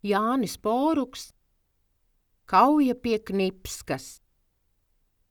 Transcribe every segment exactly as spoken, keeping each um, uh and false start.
Jānis Poruks, Kauja pie Knipskas.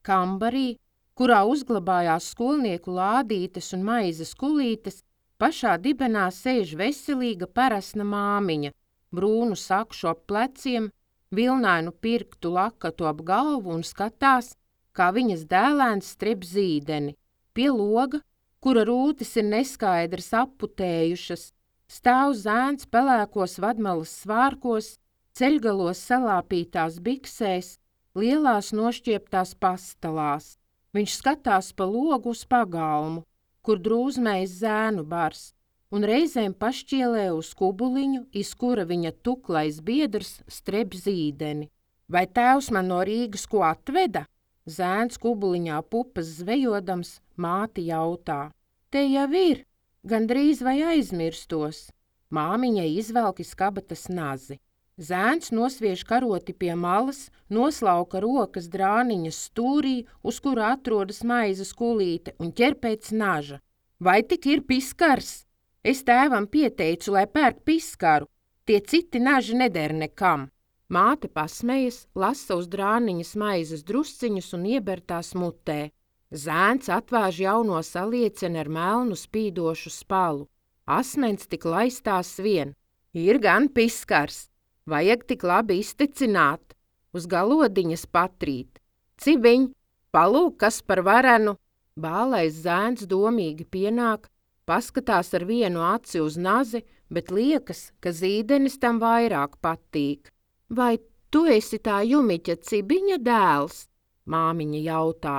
Kambarī, kurā uzglabājās skolnieku lādītes un maizes kulītes, pašā dibenā sēž veselīga parasna māmiņa, brūnu sakšu ap pleciem, vilnainu pirktu lakatu ap galvu un skatās, kā viņas dēlēns strep zīdeni. Pie loga, kura rūtis ir neskaidras apputējušas, stāv zēns pelēkos vadmalas svārkos, ceļgalos salāpītās biksēs, lielās nošķieptās pastalās. Viņš skatās pa logu uz pagalmu, kur drūzmējas zēnu bars, un reizēm pašķielē uz kubuliņu, iz kura viņa tuklais biedrs strep zīdeni. Vai tēvs man no Rīgas ko atveda? Zēns kubuliņā pupas zvejodams, māti jautā. Te jau ir, gandrīz vai aizmirstos. Māmiņai izvelk iz kabatas nazi. Zēns nosviež karoti pie malas, noslauka rokas drāniņas stūrī, uz kura atrodas maizes kulīte, un ķer pēc naža. Vai tik ir piskars? Es tēvam pieteicu, lai pērk piskaru. Tie citi naži neder nekam. Māte pasmejas, lasa uz drāniņas maizes drusciņus un ieber tās mutē. Zēns atvāž jauno salieceni ar melnu spīdošu spalu. Asmens tik laistās vien. Ir gan piskars. Vajag tik labi iztecināt. Uz galodiņas patrīt. Cibiņ, palūk, kas par varenu. Bālais zēns domīgi pienāk, paskatās ar vienu aci uz nazi, bet liekas, ka zīdenis tam vairāk patīk. Vai tu esi tā Jumiķa Cibiņa dēls? Māmiņa jautā.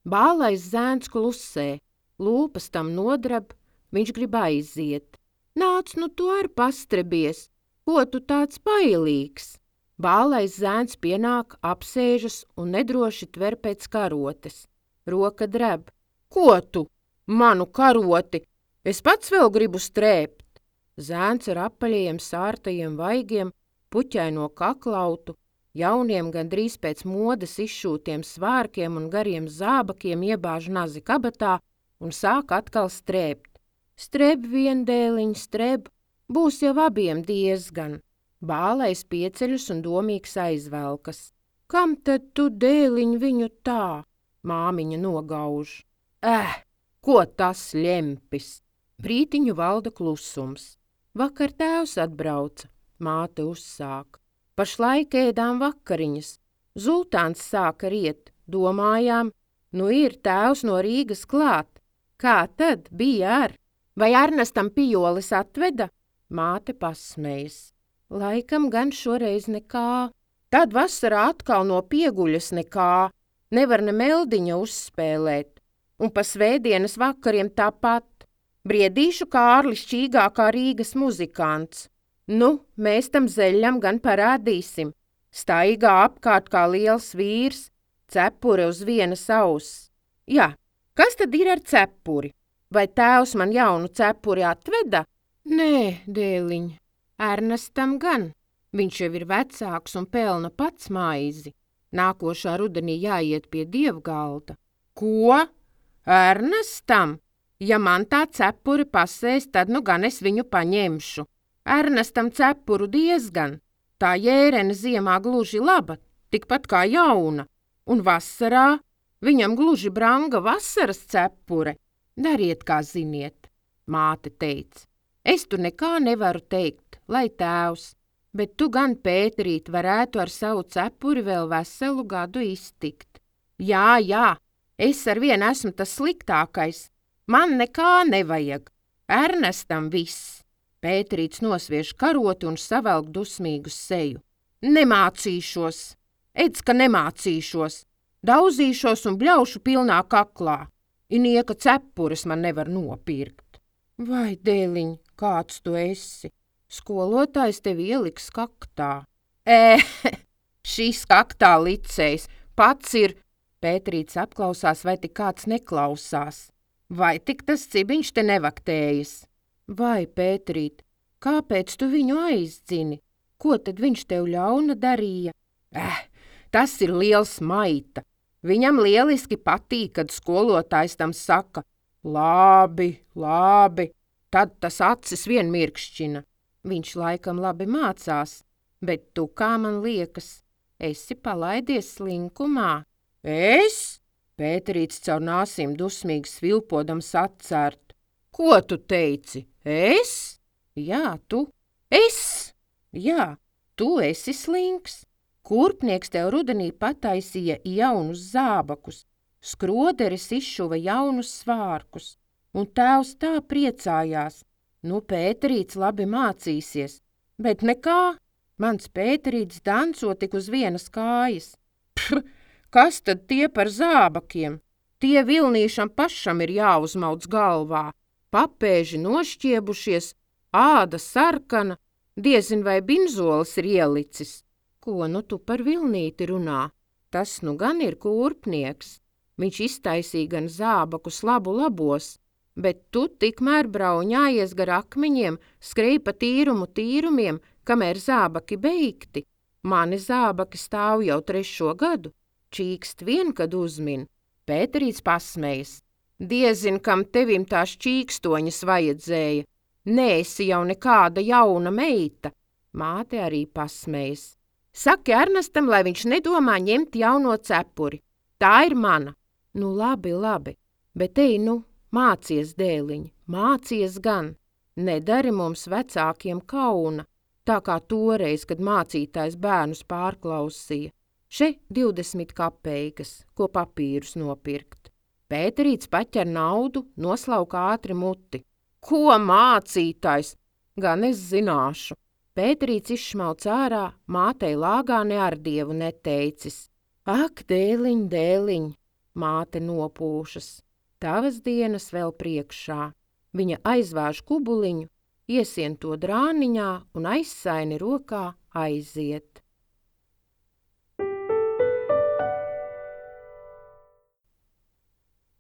Bālais zēns klusē, lūpas tam nodrab, viņš grib aiziet. Nāc, nu tu ar pastrebies, ko tu tāds pailīgs? Bālais zēns pienāk, apsēžas un nedroši tver pēc karotes. Roka dreb. Ko tu? Manu karoti! Es pats vēl gribu strēpt. Zēns ar apaļajiem sārtajiem vaigiem, puķaino kaklautu, jauniem gandrīz pēc modes izšūtiem svārkiem un gariem zābakiem iebāž nazi kabatā un sāk atkal strēpt. Streb vien dēliņ, streb, būs jau abiem diezgan. Bālais pieceļus un domīgs aizvelkas. Kam tad tu, dēliņ, viņu tā? Māmiņa nogauž. Eh, ko tas ļempis? Brītiņu valda klusums. Vakar tēvs atbrauca. Māte uzsāk. Pašlaik ēdām vakariņas. Zultāns sāka riet. Domājām, nu ir tēvs no Rīgas klāt. Kā tad bija ar? Vai Ernestam pijolis atveda? Māte pasmējas. Laikam gan šoreiz nekā. Tad vasarā atkal no pieguļas nekā. Nevar ne meldiņa uzspēlēt. Un pa svētdienas vakariem tāpat. Briedīšu Kārlis šķīgākā Rīgas muzikants. Nu, mēs tam zeļam gan parādīsim. Staigā apkārt kā liels vīrs, cepure uz vienas auss. Jā, kas tad ir ar cepuri? Vai tēvs man jaunu cepuri atveda? Nē, dēliņ, Ernestam gan. Viņš jau ir vecāks un pelna pats maizi. Nākošā rudenī jāiet pie dievgalda. Ko? Ernestam? Ja man tā cepuri pasēs, tad nu gan es viņu paņemšu. Ernestam cepuru diezgan. Tā jērene ziemā gluži laba, tikpat kā jauna. Un vasarā viņam gluži branga vasaras cepure. Dariet, kā ziniet, māte teica. Es tu nekā nevaru teikt, lai tēvs, bet tu gan, Pēterīt, varētu ar savu cepuri vēl veselu gadu iztikt. Jā, jā, es ar vienu esmu tas sliktākais. Man nekā nevajag. Ernestam viss. Pēterīts nosviež karoti un savelk dusmīgu seju. Nemācīšos. Edz, ka nemācīšos. Daudzīšos un bļaušu pilnā kaklā. Inieka cepures man nevar nopirkt. Vai, dēliņ, kāds tu esi? Skolotājs tevi ieliks kaktā. Ē, šis kaktā licējs pats ir. Pēterīts apklausās, vai tik kāds neklausās. Vai tik tas cibiņš te nevaktējas? Vai, Pēterīt, kāpēc tu viņu aizdzini? Ko tad viņš tev ļauna darīja? Eh, tas ir liels maita. Viņam lieliski patīk, kad skolotājs tam saka, labi, labi, tad tas acis vien mirkšķina. Viņš laikam labi mācās. Bet tu, kā man liekas, esi palaidies slinkumā. Es? Pēterīts caur nāsīm dusmīgi svilpodams atcērt. Ko tu teici? Es? Jā, tu. Es? Jā, tu esi slinks. Kurpnieks tev rudenī pataisīja jaunus zābakus, skroderis izšuva jaunus svārkus, un tēvs tā priecājās. Nu, Pēterīts labi mācīsies, bet nekā, mans Pēterīts danco tik uz vienas kājas. Pr, kas tad tie par zābakiem? Tie vilnīšam pašam ir jāuzmauc galvā, papēži nošķiebušies, āda sarkana, diezin vai binzolis ir ielicis. Ko nu tu par vilnīti runā? Tas nu gan ir kurpnieks. Viņš iztaisīja gan zābakus labu labos, bet tu tikmēr brauņājies gar akmeņiem, skrēj pa tīrumu tīrumiem, kamēr zābaki beigti. Mani zābaki stāv jau trešo gadu, čīkst vien, kad uzmin. Pēterīts pasmējas. Diezin, kam tevim tās čīkstoņas vajadzēja. Neesi jau nekāda jauna meita. Māte arī pasmējas. Saki Ernestam, lai viņš nedomā ņemt jauno cepuri. Tā ir mana. Nu labi, labi, bet ej nu, mācies, dēliņ, mācies gan. Nedari mums vecākiem kauna, tā kā toreiz, kad mācītājs bērnus pārklausīja. Še divdesmit kapeikas, ko papīrus nopirkt. Pēterīts paķer naudu, noslauka ātri muti. Ko mācītājs? Gan es zināšu. Pēterīts izšmauc ārā, mātei lāgā ne ar dievu neteicis. Ak, dēliņ, dēliņ, māte nopūšas. Tavas dienas vēl priekšā. Viņa aizvāž kubuliņu, iesien to drāniņā un aizsaini rokā aiziet.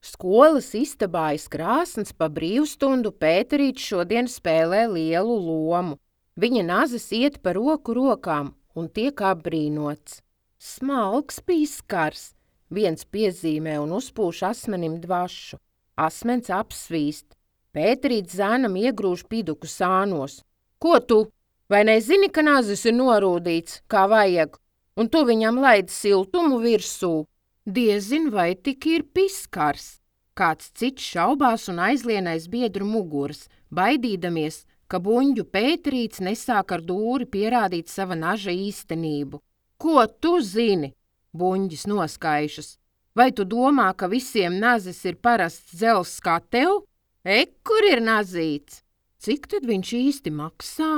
Skolas istabā aiz krāsns pa brīvstundu Pēterīts šodien spēlē lielu lomu. Viņa nazis iet pa roku rokām un tiek apbrīnots. Smalks piskars, viens piezīmē un uzpūš asmenim dvašu. Asmens apsvīst. Pēterīts zēnam iegrūž piduku sānos. Ko tu? Vai nezini, ka nazis ir norūdīts, kā vajag, un tu viņam laidi siltumu virsū? Diezin, vai tik ir piskars. Kāds cits šaubās un aizlienais biedru muguras, baidīdamies, ka buņģu Pēterīts nesāk ar dūri pierādīt sava naža īstenību. Ko tu zini? Buņģis noskaišas. Vai tu domā, ka visiem nazis ir parasts dzels kā tev? Ek, kur ir nazīts? Cik tad viņš īsti maksā?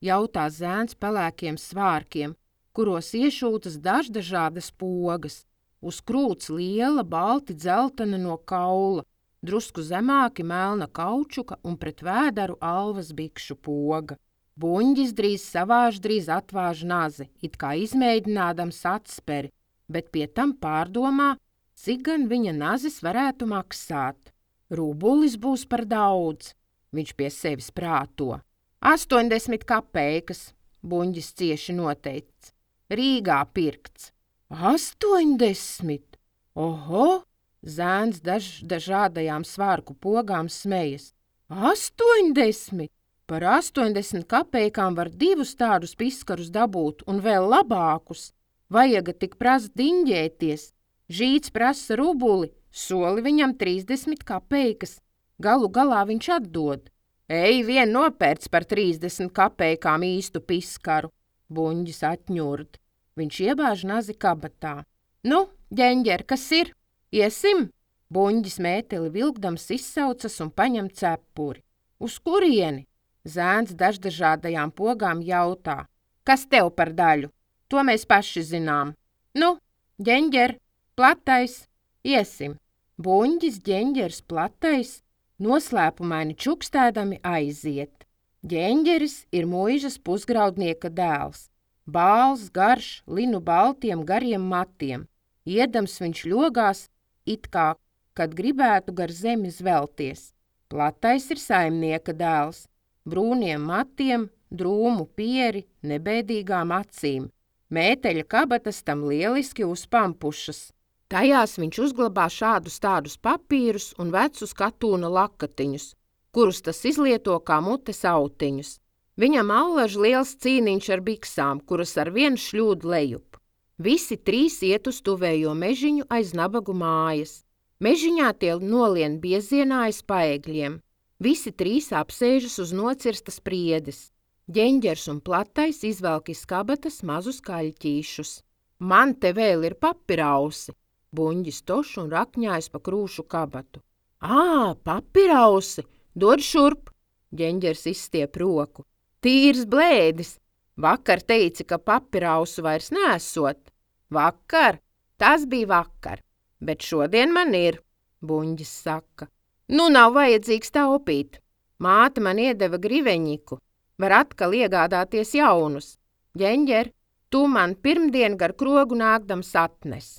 Jautā zēns pelēkiem svārkiem, kuros iešūtas daždažādas pogas. Uz krūts liela, balti dzeltena no kaula, drusku zemāki melna kaučuka un pret vēdaru alvas bikšu poga. Buņģis drīz savāž, drīz atvāž nazi, it kā izmēģinādams atsperi, bet pie tam pārdomā, cik gan viņa nazis varētu maksāt. Rubulis būs par daudz, viņš pie sevis prāto. Astoņdesmit kapeikas, buņģis cieši noteicis, Rīgā pirkts. Astoņdesmit! Oho! Zēns daž, dažādajām svārku pogām smejas. Astoņdesmit! Par astoņdesmit kapeikām var divus tādus piskarus dabūt un vēl labākus. Vajaga tik prast diņģēties. Žīts prasa rubuli, soli viņam trīsdesmit kapeikas. Galu galā viņš atdod. Ej, vien nopērts par trīsdesmit kapeikām īstu piskaru. Buņģis atņurd. Viņš iebāž nazi kabatā. Nu, ģeņģer, kas ir? Iesim? Buņģis mēteli vilkdams izsaucas un paņem cepuri. Uz kurieni? Zēns daždažādajām pogām jautā. Kas tev par daļu? To mēs paši zinām. Nu, ģeņģer, platais, iesim. Buņģis, ģeņģers, platais, noslēpumaini čukstēdami aiziet. Ģeņģeris ir muižas pusgraudnieka dēls. Bāls, garš, linu baltiem gariem matiem. Iedams viņš ļogās, it kā, kad gribētu gar zemi zvelties. Platais ir saimnieka dēls. Brūniem matiem, drūmu pieri, nebēdīgām acīm. Mēteļa kabatas tam lieliski uzpampušas. Tajās viņš uzglabā šādus tādus papīrus un vecus katūna lakatiņus, kurus tas izlieto kā mutes autiņus. Viņam allaž liels cīniņš ar biksām, kuras ar vienu šļūd lejup. Visi trīs iet uz tuvējo mežiņu aiz nabagu mājas. Mežiņā tie nolien biezienā aiz paegļiem. Visi trīs apsēžas uz nocirstas priedes. Ģeņģers un Platais izvelk iz kabatas mazus kaļķīšus. Man te vēl ir papirausi, Buņģis toš un rakņājas pa krūšu kabatu. Ā, papirausi, dod šurp, Ģeņģers izstiep roku. Tīrs blēdis, vakar teici, ka papirausu vairs nesot. Vakar, tas bija vakar, bet šodien man ir, Buņģis saka. Nu nav vajadzīgs taupīt, māte man iedeva griveņiku, var atkal iegādāties jaunus. Ģeņģer, tu man pirmdien gar krogu nākdams atnes.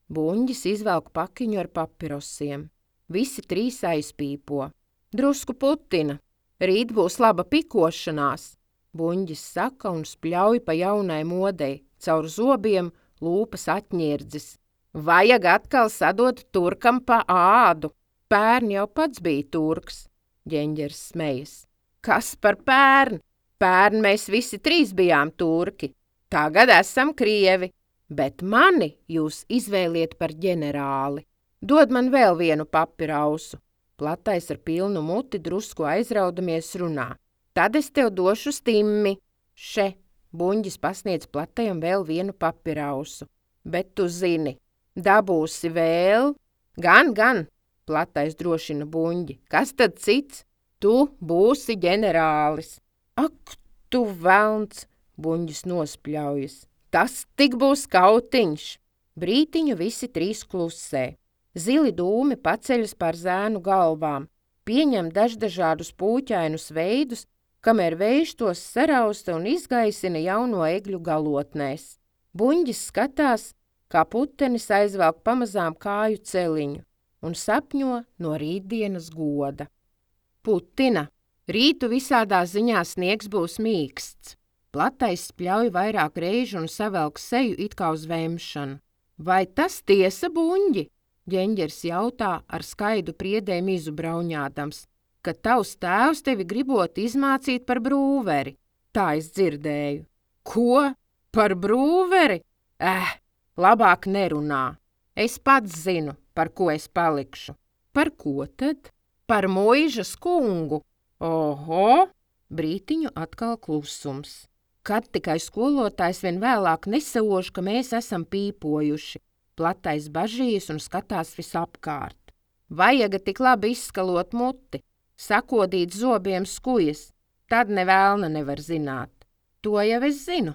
Buņģis izvelk pakiņu ar papirosiem. Visi trīs aizpīpo. Drusku putina, rīt būs laba pikošanās. Buņģis saka un spļauj pa jaunai modei, caur zobiem lūpas atņirdzis. Vajag atkal sadot turkam pa ādu. Pērn jau pats bija turks, Ģeņģers smejas. Kas par pērn? Pērn mēs visi trīs bijām turki. Tagad esam krievi, bet mani jūs izvēliet par ģenerāli. Dod man vēl vienu papirausu. Platais ar pilnu muti drusku aizraudamies runā. Tad es tev došu stimmi. Še, Buņģis pasniedz Platajam vēl vienu papirausu. Bet tu zini, dabūsi vēl? Gan, gan, Platais drošina Buņģi. Kas tad cits? Tu būsi ģenerālis. Ak, tu velns, Buņģis nospļaujas. Tas tik būs kautiņš. Brītiņu visi trīs klusē. Zili dūmi paceļas par zēnu galvām, pieņem daždažādus pūķainus veidus, kamēr vējš tos sarausta un izgaisina jauno egļu galotnēs. Buņģis skatās, kā putenis aizvelk pamazām kāju celiņu un sapņo no rītdienas goda. Putina, rītu visādā ziņā sniegs būs mīksts. Platais spļauj vairāk reižu un savelk seju it kā uz vemšanu. Vai tas tiesa, Buņģi? Ģeņģers jautā ar skaidu priedēm izubrauņādams, ka tavs tēvs tevi gribot izmācīt par brūveri. Tā es dzirdēju. Ko? Par brūveri? Eh, labāk nerunā. Es pats zinu, par ko es palikšu. Par ko tad? Par muižas kungu. Oho! Brītiņu atkal klusums. Kad tikai skolotājs vien vēlāk nesauž, ka mēs esam pīpojuši. Platais bažījas un skatās visapkārt. Vajaga tik labi izskalot muti, sakodīt zobiem skujas, tad nevēlna nevar zināt. To jau es zinu,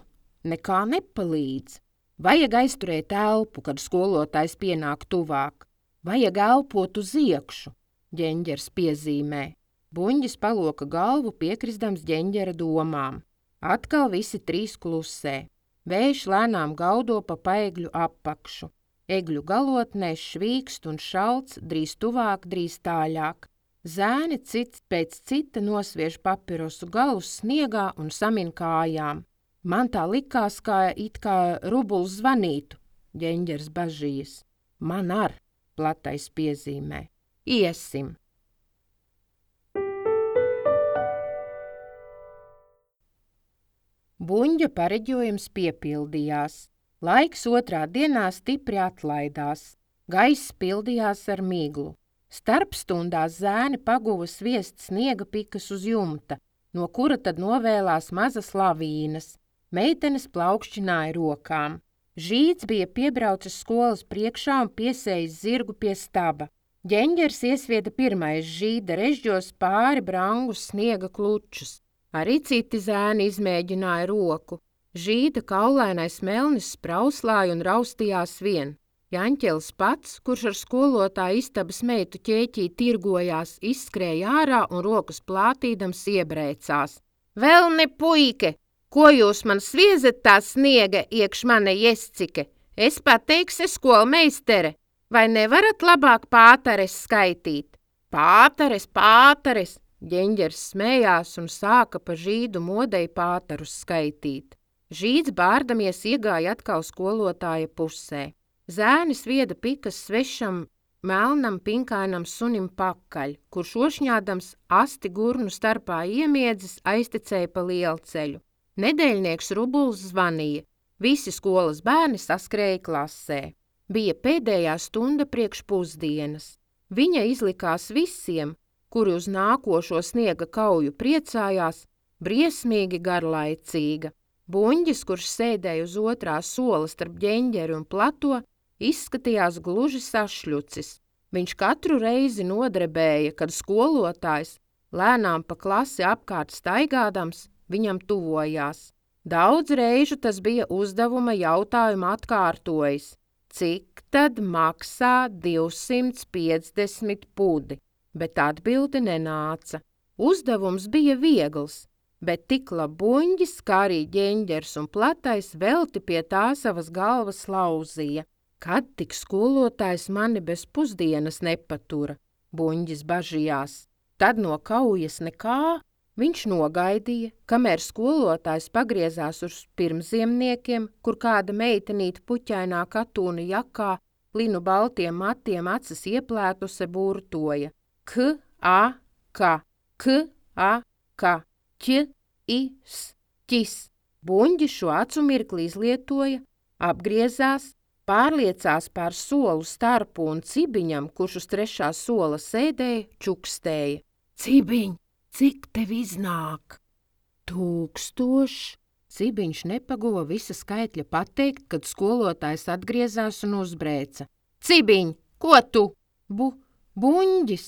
nekā nepalīdz. Vajag aizturēt elpu, kad skolotājs pienāk tuvāk. Vajag elpot uz iekšu, Ģeņģers piezīmē. Buņģis paloka galvu piekrisdams Ģeņģera domām. Atkal visi trīs klusē. Vējš lēnām gaudo pa paegļu apakšu. Egļu galotnēs švīkst un šalts, drīz tuvāk, drīz tāļāk. Zēni cits pēc cita nosviež papirosu galus sniegā un samin kājām. Man tā likās, kā it kā rubuls zvanītu, Ģeņģers bažījas. Man ar, Platais piezīmē. Iesim. Buņģa pareģojums piepildījās. Laiks otrā dienā stipri atlaidās. Gaiss pildījās ar miglu. Starpstundās zēni paguva sviest sniega pikas uz jumta, no kura tad novēlās mazas lavīnas. Meitenes plaukšķināja rokām. Žīds bija piebraucis skolas priekšā un piesējis zirgu pie staba. Ģeņģers iesvieda pirmais žīda režģos pāri brangus sniega klučus. Arī citi zēni izmēģināja roku. Žīda kaulainais melnis sprauslāja un raustījās vien. Jaņķelis pats, kurš ar skolotāju istabas meitu ķēķī tirgojās, izskrēja ārā un rokas plātīdams iebrēcās. Velni puike, ko jūs man sviezat tā sniega iekš mane iescike? Es pateikse skolmeistere, vai nevarat labāk pātares skaitīt? Pātares, pātares! Ģeņģers smējās un sāka pa Žīdu modei pātarus skaitīt. Žīds bārdamies iegāja atkal skolotāja pusē. Zēnis vieda pikas svešam melnam pinkainam sunim pakaļ, kurš ošņādams asti gurnu starpā iemiedzis aiztecēja pa lielceļu. Nedēļnieks Rubuls zvanīja, visi skolas bērni saskrēja klasē. Bija pēdējā stunda priekš pusdienas. Viņa izlikās visiem, kuri uz nākošo sniega kauju priecājās, briesmīgi garlaicīga. Buņģis, kurš sēdēja uz otrā sola starp ģeņģeri un plato, izskatījās gluži sašļucis. Viņš katru reizi nodrebēja, kad skolotājs, lēnām pa klasi apkārt staigādams, viņam tuvojās. Daudz reižu tas bija uzdevuma jautājumu atkārtojis. Cik tad maksā divsimt piecdesmit pudi? Bet atbilde nenāca. Uzdevums bija viegls, bet tik Buņģis, kā arī ģeņģers un platais velti pie tā savas galvas lauzīja. Kad tik skolotājs mani bez pusdienas nepatura, Buņģis bažījās. Tad no kaujas nekā. Viņš nogaidīja, kamēr skolotājs pagriezās uz pirmziemniekiem, kur kāda meitenīte puķainā katūna jakā, linu baltiem matiem acis ieplētuse burtoja. K, a, ka, k, a, ka, ķ, i, s, ķis. Buņģis šo acu mirkli izlietoja, apgriezās, pārliecās pār solu starpu un Cibiņam, kurš uz trešā sola sēdēja, čukstēja. Cibiņ! Cik tev iznāk? Tūkstoši. Cibiņš nepaguva visa skaitļa pateikt, kad skolotājs atgriezās un uzbrēca. Cibiņ, ko tu? Bu, Buņģis.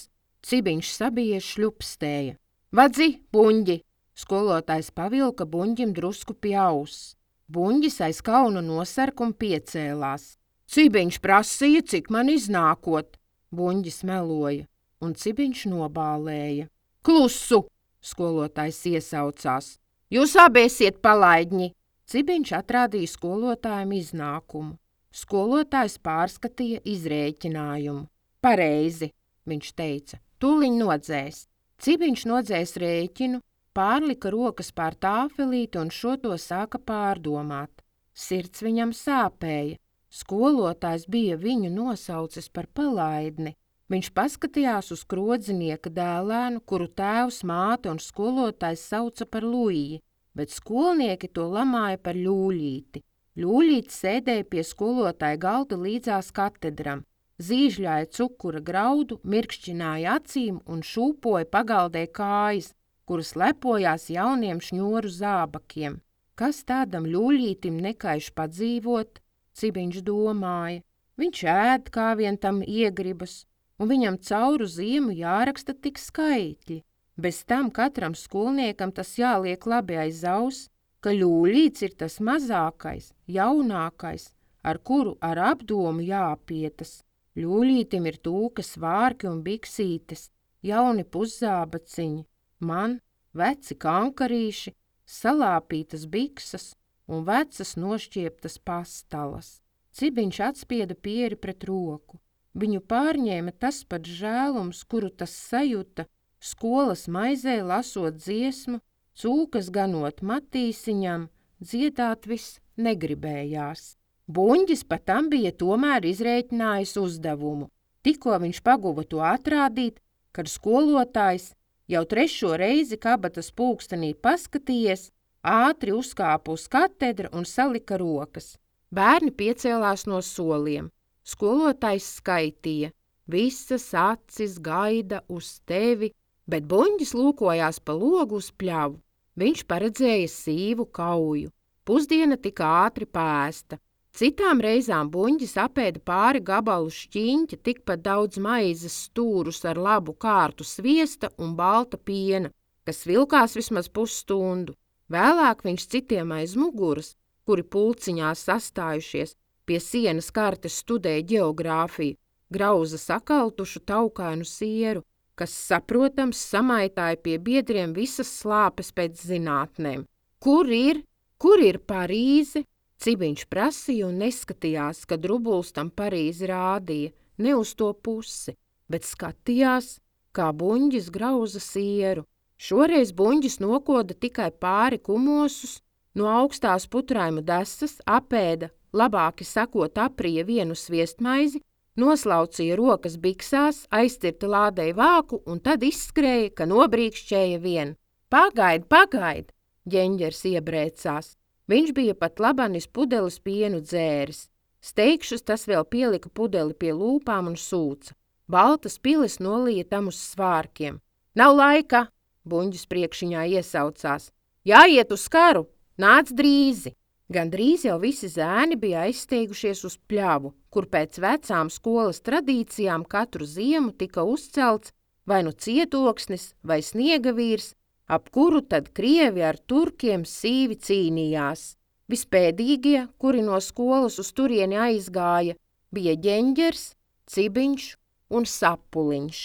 Cibiņš sabijies šļupstēja. Vadzi, Buņģi. Skolotājs pavilka Buņģim drusku pie auss. Buņģis aiz kauna nosark un piecēlās. Cibiņš prasīja, cik man iznākot. Buņģis meloja, un Cibiņš nobālēja. Klusu, skolotājs iesaucās. Jūs abi esiet palaidņi. Cibiņš atrādīja skolotājam iznākumu. Skolotājs pārskatīja izrēķinājumu. Pareizi, viņš teica, tūliņ nodzēs. Cibiņš nodzēs rēķinu, pārlika rokas pār tāfelīti un šo to sāka pārdomāt. Sirds viņam sāpēja. Skolotājs bija viņu nosaucis par palaidni. Viņš paskatījās uz krodzinieka dēlēnu, kuru tēvs, māte un skolotājs sauca par Luiji, bet skolnieki to lamāja par Ļūļīti. Ļūļīti sēdēja pie skolotāja galda līdzās katedram, zīžļāja cukura graudu, mirkšķināja acīm un šūpoja pagaldē kājas, kuras lepojās jauniem šņoru zābakiem. Kas tādam Ļūļītim nekaiš padzīvot, Cibiņš domāja. Viņš ēd, kā vien tam iegribas, un viņam cauru ziemu jāraksta tik skaitļi. Bez tam katram skolniekam tas jāliek labi aiz auss, ka Ļūļīts ir tas mazākais, jaunākais, ar kuru ar apdomu jāapietas. Ļūļītim ir tūkas vārki un biksītes, jauni puszābaciņi, man veci kankarīši, salāpītas biksas un vecas nošķieptas pastalas. Cibiņš atspieda pieri pret roku. Viņu pārņēma tas pats žēlums, kuru tas sajuta, skolas maizē lasot dziesmu, cūkas ganot matīsiņam, dziedāt viss negribējās. Buņģis pat tam bija tomēr izrēķinājis uzdevumu. Tikko viņš paguva to atrādīt, kad skolotājs jau trešo reizi kabatas pulkstenī paskatījies, ātri uzkāpa uz katedra un salika rokas. Bērni piecēlās no soliem. Skolotājs skaitīja, visas acis gaida uz tevi, bet Buņģis lūkojās pa logu uz pļavu. Viņš paredzēja sīvu kauju. Pusdiena tika ātri pēsta. Citām reizām Buņģis apēda pāri gabalu šķiņķa, tikpat daudz maizes stūrus ar labu kārtu sviesta un balta piena, kas vilkās vismaz pusstundu. Vēlāk viņš citiem aiz muguras, kuri pulciņās sastājušies, pie sienas kartes studēja ģeogrāfiju, grauza sakaltušu taukainu sieru, kas, saprotams, samaitāja pie biedriem visas slāpes pēc zinātnēm. Kur ir? Kur ir Parīze? Cibiņš prasīja un neskatījās, kad Rubuls tam Parīzi rādīja, ne uz to pusi, bet skatījās, kā Buņģis grauza sieru. Šoreiz Buņģis nokoda tikai pāri kumosus, no augstās putraimu desas apēda, labāki sakot aprija vienu sviestmaizi, Noslaucīja rokas biksās, aizcirta lādei vāku un tad izskrēja, ka nobrīkšķēja vien. Pagaid, pagaid! Ģeņģers iebrēcās. Viņš bija pat labanis pudeles pienu dzēris. Steigšus tas vēl pielika pudeli pie lūpām un sūca. Baltas pilis nolīja tam uz svārkiem. Nav laika! Buņģis priekšiņā iesaucās. Jāiet uz karu! Nāc drīzi! Gan drīz jau visi zēni bija aizsteigušies uz pļavu, kur pēc vecām skolas tradīcijām katru ziemu tika uzcelts vai nu cietoksnis vai sniegavīrs, ap kuru tad krievi ar turkiem sīvi cīnījās. Vispēdīgie, kuri no skolas uz turieni aizgāja, bija Ģeņģers, Cibiņš un Sapuliņš.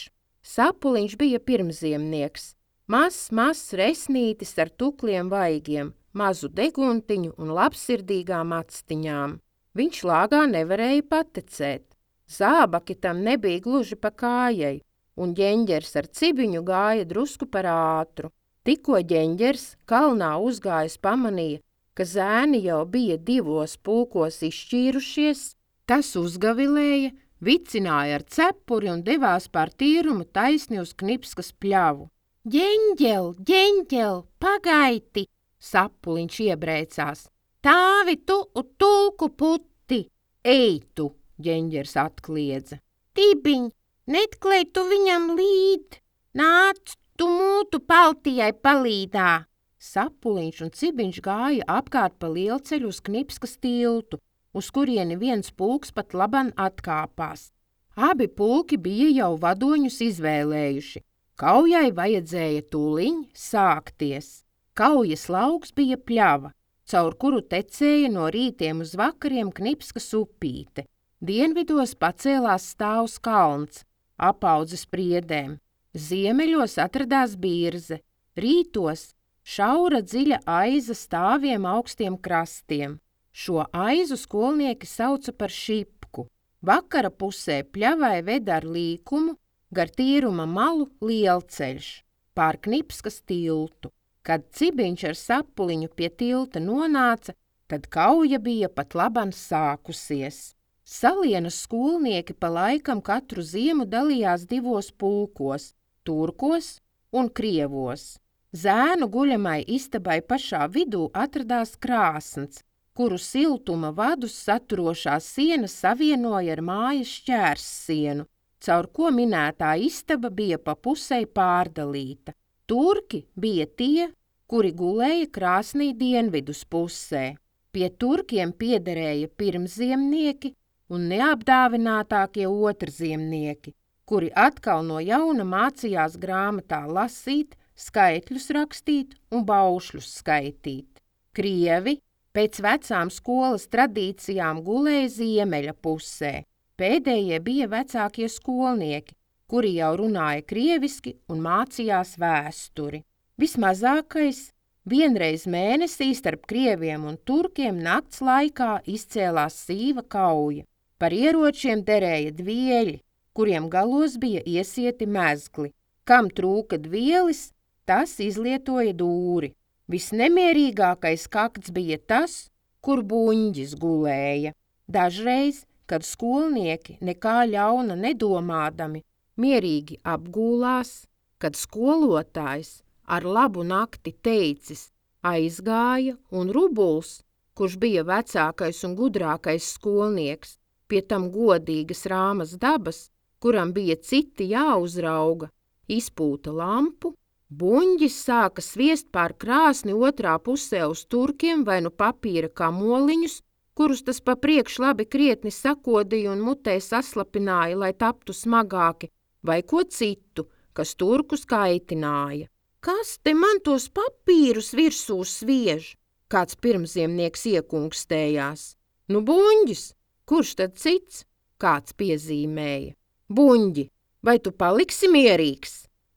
Sapuliņš bija pirmziemnieks, mazs, mazs resnītis ar tukliem vaigiem, mazu deguntiņu un labsirdīgām actiņām. Viņš lāgā nevarēja patecēt. Zābaki tam nebija gluži pa kājai, un Ģeņģers ar Cibiņu gāja drusku par ātru. Tikko Ģeņģers kalnā uzgājis pamanīja, ka zēni jau bija divos pulkos izšķīrušies, tas uzgavilēja, vicināja ar cepuri un devās pār tīrumu taisni uz Knipskas pļavu. Ģeņģel, Ģeņģel, pagaiti! Sapuliņš iebrēcās. Tāvi tu un tulku putti! Ej tu, Ģeņģers atkliedza. Tibiņ, netklej tu viņam līd! Nāc, tu mūtu paltijai palīdā! Sapuliņš un Cibiņš gāja apkārt pa lielceļu uz Knipskas tiltu, uz kurieni viens pulks pat laban atkāpās. Abi pulki bija jau vadoņus izvēlējuši. Kaujai vajadzēja tūliņ sākties. Kaujas lauks bija pļava, caur kuru tecēja no rītiem uz vakariem Knipskas upīte. Dienvidos pacēlās stāvs kalns, apaudzis priedēm. Ziemeļos atradās Birze, rītos šaura dziļa aiza stāviem augstiem krastiem. Šo aizu skolnieki sauca par šipku. Vakara pusē pļavai veda ar līkumu, gar tīruma malu lielceļš, pār Knipskas tiltu. Kad Cibiņš ar Sapuliņu pie tilta nonāca, tad kauja bija pat laban sākusies. Salienas skolnieki pa laikam katru ziemu dalījās divos pulkos – turkos un krievos. Zēnu guļamai istabai pašā vidū atradās krāsns, kuru siltuma vadus saturošā siena savienoja ar mājas šķērssienu, caur ko minētā istaba bija pa pusei pārdalīta. Turki bija tie, kuri gulēja krāsnī dienvidus pusē. Pie turkiem piederēja pirmziemnieki un neapdāvinātākie otrziemnieki, kuri atkal no jauna mācījās grāmatā lasīt, skaitļus rakstīt un baušļus skaitīt. Krievi pēc vecām skolas tradīcijām gulēja ziemeļa pusē. Pēdējie bija vecākie skolnieki, kuri jau runāja krieviski un mācījās vēsturi. Vismazākais vienreiz mēnesī starp krieviem un turkiem nakts laikā izcēlās sīva kauja. Par ieročiem derēja dvieļi, kuriem galos bija iesieti mezgli. Kam trūka dvielis, tas izlietoja dūri. Visnemierīgākais kakts bija tas, kur buņģis gulēja. Dažreiz, kad skolnieki nekā ļauna nedomādami, mierīgi apgūlās, kad skolotājs ar labu nakti teicis aizgāja un Rubuls, kurš bija vecākais un gudrākais skolnieks, pie tam godīgas rāmas dabas, kuram bija citi jāuzrauga, izpūta lampu, buņģis sāka sviest pār krāsni otrā pusē uz turkiem vai nu papīra kamoliņus, kurus tas pa priekš labi krietni sakodīja un mutē saslapināja, lai taptu smagāki, vai ko citu, kas turkus kaitināja. Kas te man tos papīrus virsū sviež? Kāds pirmziemnieks iekungstējās. Nu, buņģis, kurš tad cits? Kāds piezīmēja. Buņģi, vai tu paliksi mierīgs?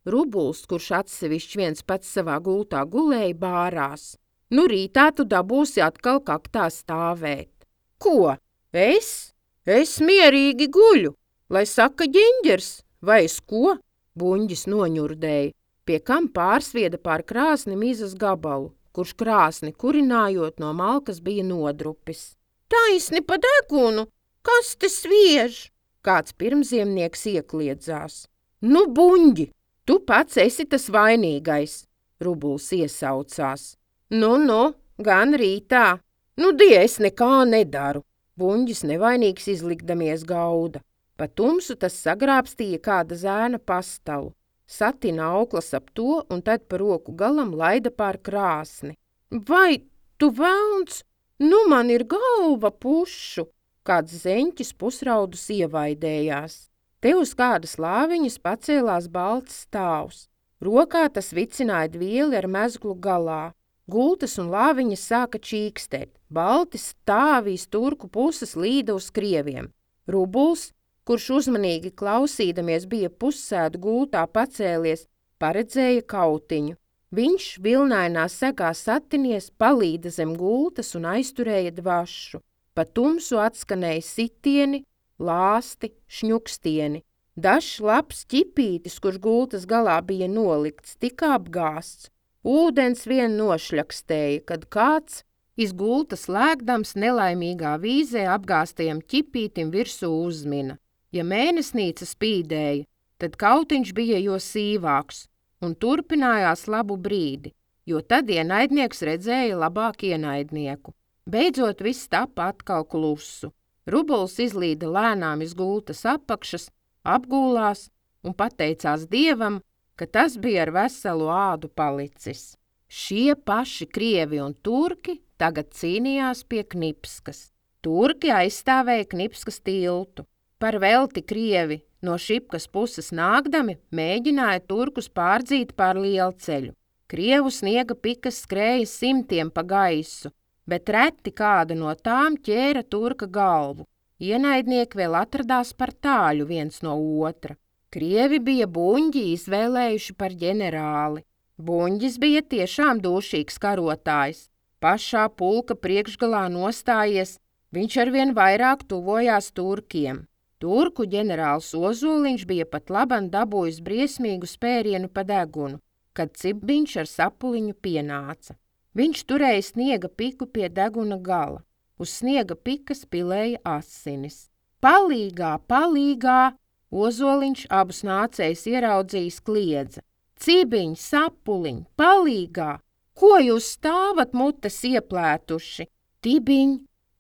Rubuls, kurš atsevišķi viens pats savā gultā gulēja, bārās. Nu, rītā tu dabūsi atkal kaktā stāvēt. Ko? Es? Es mierīgi guļu, lai saka Ģeņģers, vai es ko? Buņģis noņurdēja, pie kam pārsvieda pār krāsni mizas gabalu, kurš krāsni kurinājot no malkas bija nodrupis. Taisni pa degunu, kas te sviež? kāds pirmziemnieks iekliedzās. Nu, buņģi, tu pats esi tas vainīgais, Rubuls iesaucās. Nu, nu, gan rītā. Nu, die, es nekā nedaru. Buņģis nevainīgs izlikdamies gauda. Pa tumsu tas sagrābstīja kāda zēna pastalu. Satina auklas ap to un tad pa roku galam laida pār krāsni. Vai tu velns? Nu man ir galva pušu! Kāds zeņķis pusraudus ievaidējās. Te uz kādas lāviņas pacēlās balts stāvs. Rokā tas vicināja dvieli ar mezglu galā. Gultas un lāviņas sāka čīkstēt. Balti stāvīs turku puses līda uz krieviem. Rubuls, kurš uzmanīgi klausīdamies bija pussēdu gultā pacēlies, paredzēja kautiņu. Viņš vilnainā segā satinies, palīda zem gultas un aizturēja dvašu. Pa tumsu atskanēja sitieni, lāsti, šņukstieni. Dažs labs ķipītis, kurš gultas galā bija nolikts, tika apgāsts. Ūdens vien nošļakstēja, kad kāds iz gultas lēgdams nelaimīgā vīzē apgāstajam ķipītim virsū uzmina. Ja mēnesnīca spīdēja, tad kautiņš bija jo sīvāks un turpinājās labu brīdi, jo tad ienaidnieks redzēja labāk ienaidnieku. Beidzot viss tapa atkal klusu. Rubuls izlīda lēnām iz gultas apakšas, apgūlās un pateicās Dievam, ka tas bija ar veselu ādu palicis. Šie paši krievi un turki tagad cīnījās pie Knipskas. Turki aizstāvēja Knipskas tiltu. Par velti krievi no Šipkas puses nākdami mēģināja turkus pārdzīt pār lielceļu. Krievu sniega pikas skrēja simtiem pa gaisu, bet reti kāda no tām ķēra turka galvu. Ienaidnieki vēl atradās par tāļu viens no otra. Krievi bija buņģi izvēlējuši par ģenerāli. Buņģis bija tiešām dūšīgs karotājs. Pašā pulka priekšgalā nostājies, viņš arvien vairāk tuvojās turkiem. Turku ģenerālis Ozoliņš bija pat laban dabūjis briesmīgu spērienu pa degunu, kad Cibiņš ar sapuliņu pienāca. Viņš turēja sniega piku pie deguna gala. Uz sniega pikas pilēja asinis. Palīgā, palīgā! Ozoliņš abus nācējus ieraudzījis kliedza. Cibiņ, sapuliņ, palīgā! Ko jūs stāvat mutes ieplētuši? Tibiņ,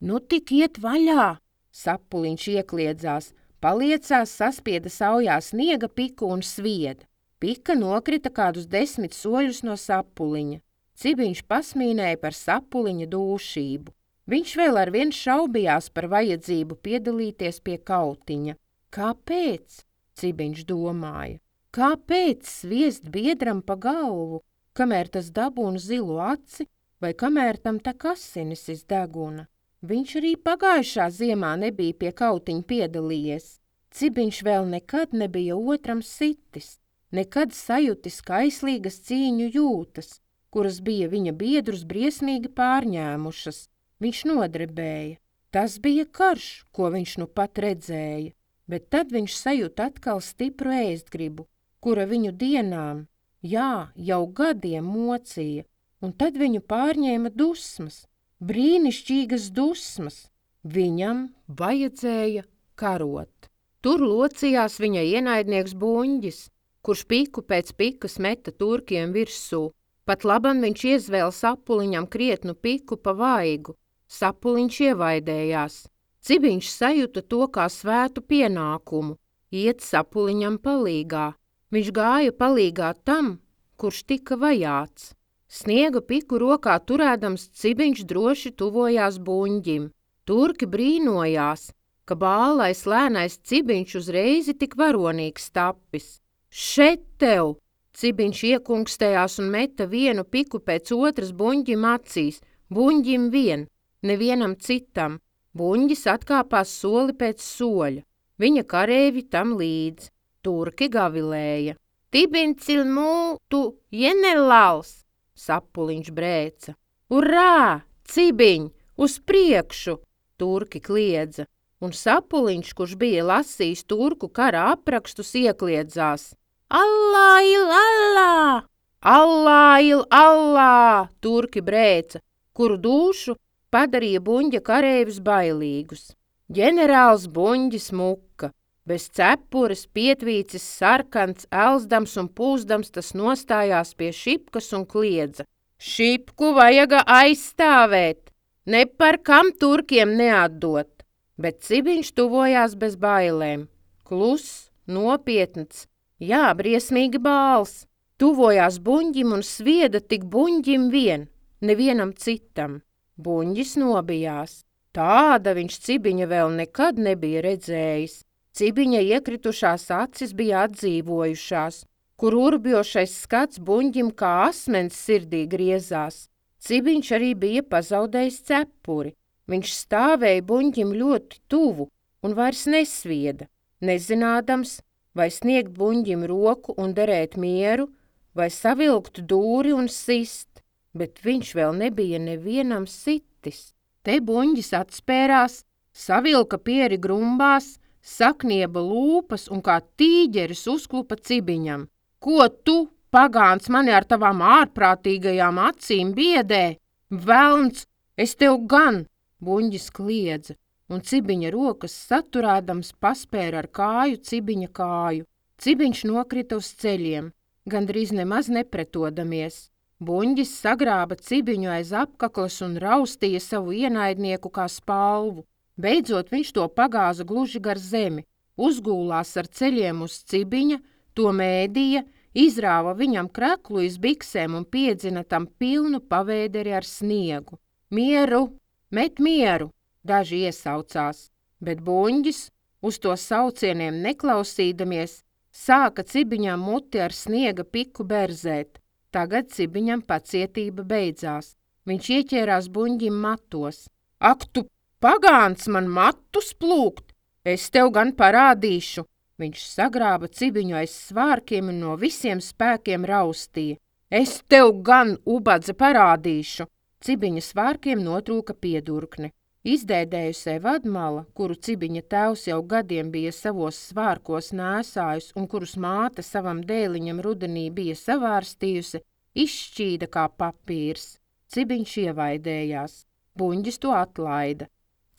nu tik iet vaļā! Sapuliņš iekliedzās, paliecās, saspieda saujā sniega piku un svieda. Pika nokrita kādus desmit soļus no sapuliņa. Cibiņš pasmīnēja par sapuliņa dūšību. Viņš vēl arvien šaubījās par vajadzību piedalīties pie kautiņa. Kāpēc? Cibiņš domāja. Kāpēc sviest biedram pa galvu, kamēr tas dabūna zilu aci vai kamēr tam tek asinis iz deguna? Viņš arī pagājušā ziemā nebija pie kautiņa piedalījies. Cibiņš vēl nekad nebija otram sitis, nekad sajutis kaislīgas cīņu jūtas, kuras bija viņa biedrus briesmīgi pārņēmušas. Viņš nodrebēja. Tas bija karš, ko viņš nu pat redzēja, bet tad viņš sajūta atkal stipru ēstgribu, kura viņu dienām, jā, jau gadiem mocīja, un tad viņu pārņēma dusmas. Brīnišķīgas dusmas. Viņam vajadzēja karot. Tur locījās viņa ienaidnieks Buņģis, kurš piku pēc pikas meta turkiem virsū. Pat laban viņš iezvēl sapuliņam krietnu piku pa vaigu. Sapuliņš ievaidējās. Cibiņš sajuta to kā svētu pienākumu, iet sapuliņam palīgā. Viņš gāja palīgā tam, kurš tika vajāts. Sniega piku rokā turēdams Cibiņš droši tuvojās Buņģim. Turki brīnojās, ka bālais lēnais Cibiņš uzreizi tik varonīgs tapis. Šet tev! Cibiņš iekungstējās un meta vienu piku pēc otras Buņģim acīs, Buņģim vien, nevienam citam. Buņģis atkāpās soli pēc soļa. Viņa kareivi tam līdz. Turki gavilēja. Tibiņ cilmū tu jenelals! Sapuliņš brēca. Urā! Cibiņ! Uz priekšu! Turki kliedza. Un Sapuliņš, kurš bija lasījis turku kara aprakstus, iekliedzās. Allā il allā! Allā il allā! Turki brēca, kuru dūšu padarīja Buņģa kareivis bailīgus. Ģenerālis Buņģis muka. Bez cepures, pietvīcis, sarkans, elzdams un pūzdams tas nostājās pie Šipkas un kliedza. Šipku vajaga aizstāvēt, ne par kam turkiem neatdot, bet Cibiņš tuvojās bez bailēm. Kluss, nopietns, jā, briesmīgi bāls, tuvojās Buņģim un svieda tik Buņģim vien, nevienam citam. Buņģis nobijās. Tāda viņš Cibiņa vēl nekad nebija redzējis. Cibiņa iekritušās acis bija atdzīvojušās, kur urbjošais skats Buņģim kā asmens sirdī griezās. Cibiņš arī bija pazaudējis cepuri. Viņš stāvēja Buņģim ļoti tuvu un vairs nesvieda, nezinādams, vai sniegt Buņģim roku un derēt mieru, vai savilkt dūri un sist, bet viņš vēl nebija nevienam sitis. Te Buņģis atspērās, savilka pieri grumbās, saknieba lūpas un kā tīģeris uzklupa Cibiņam. Ko tu, pagāns, mani ar tavām ārprātīgajām acīm biedē? Velns, es tev gan! Buņģis kliedza, un Cibiņa rokas saturādams paspēra ar kāju Cibiņa kāju. Cibiņš nokrita uz ceļiem, gandrīz nemaz nepretodamies. Buņģis sagrāba Cibiņu aiz apkaklas un raustīja savu ienaidnieku kā spalvu. Beidzot viņš to pagāza gluži gar zemi, uzgūlās ar ceļiem uz Cibiņa, to mēdīja, izrāva viņam kreklu iz biksēm un piedzina tam pilnu pavēderi ar sniegu. Mieru, met mieru, daži iesaucās, bet Buņģis, uz to saucieniem neklausīdamies, sāka Cibiņam muti ar sniega piku berzēt. Tagad Cibiņam pacietība beidzās. Viņš ieķērās Buņģim matos. Ak, tu pagāns man matus plūkt! Es tev gan parādīšu! Viņš sagrāba Cibiņu aiz svārkiem un no visiem spēkiem raustīja. Es tev gan, ubadze, parādīšu! Cibiņa svārkiem notrūka piedurkne. Izdēdējusē vadmala, kuru Cibiņa tēvs jau gadiem bija savos svārkos nēsājus un kurus māte savam dēliņam rudenī bija savārstījusi, izšķīda kā papīrs. Cibiņš ievaidējās. Buņģis to atlaida.